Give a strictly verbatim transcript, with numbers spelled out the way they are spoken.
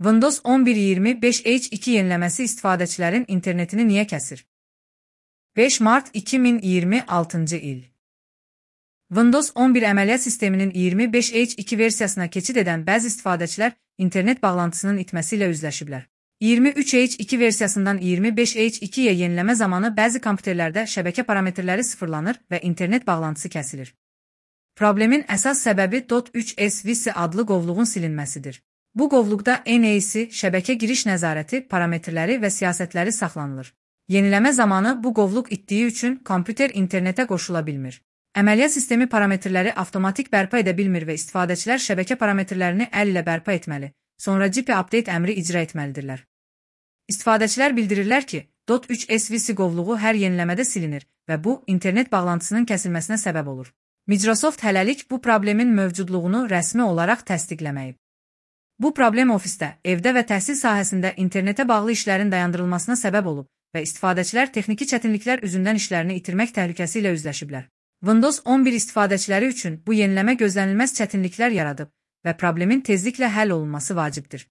Windows on bir iyirmi beş H iki yeniləməsi istifadəçilərin internetini niyə kəsir? beş mart iki min iyirmi altıncı il. Windows on bir əməliyyat sisteminin iyirmi beş H iki versiyasına keçid edən bəzi istifadəçilər internet bağlantısının itməsi ilə üzləşiblər. iyirmi üç H iki versiyasından iyirmi beş H ikiyə yenileme zamanı bəzi kompüterlərdə şəbəkə parametrləri sıfırlanır və internet bağlantısı kəsilir. Problemin əsas səbəbi dot üç S V C adlı qovluğun silinməsidir. Bu qovluqda N A C, şəbəkə giriş nəzarəti, parametrləri və siyasətləri saxlanılır. Yeniləmə zamanı bu qovluq itdiyi üçün kompüter internetə qoşula bilmir. Əməliyyat sistemi parametrləri avtomatik bərpa edə bilmir və istifadəçilər şəbəkə parametrlərini əl ilə bərpa etməli, sonra G P update əmri icra etməlidirlər. İstifadəçilər bildirirlər ki, dot üç S V C qovluğu hər yeniləmədə silinir və bu, internet bağlantısının kəsilməsinə səbəb olur. Microsoft hələlik bu problemin mövcudluğunu rəsmi olaraq təsdiqləməyib. Bu problem ofisdə, evdə və təhsil sahəsində internetə bağlı işlərin dayandırılmasına səbəb olub və istifadəçilər texniki çətinliklər üzündən işlərini itirmək təhlükəsi ilə üzləşiblər. Windows on bir istifadəçiləri üçün bu yeniləmə gözlənilməz çətinliklər yaradıb və problemin tezliklə həll olunması vacibdir.